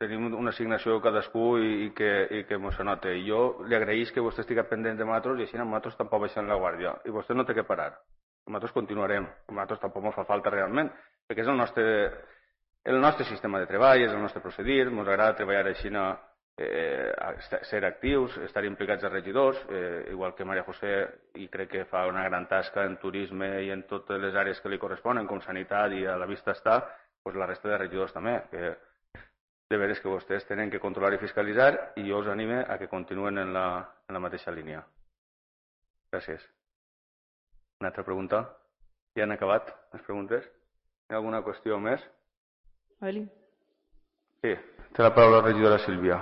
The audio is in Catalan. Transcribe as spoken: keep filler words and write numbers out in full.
tenim una assignació cadascú i que ens se nota. I jo li agraïs que vostè estigui pendent de nosaltres i així nosaltres tampoc baixem la guàrdia. I vostè no té que parar. Nosaltres continuarem. Nosaltres tampoc ens fa falta realment, perquè és el nostre el nostre sistema de treball, és el nostre procedir, ens agrada treballar així, ser actius, estar implicats als regidors, igual que Maria José, i crec que fa una gran tasca en turisme i en totes les àrees que li corresponen, com sanitat i a la vista està, doncs la resta de regidors també, que de veres que vostès tenen que controlar i fiscalitzar, i jo us anime a que continuen en la mateixa línia. Gràcies. Una altra pregunta? Ja han acabat les preguntes? Hi ha alguna qüestió més? Eli. Sí, té la paraula la regidora Sílvia.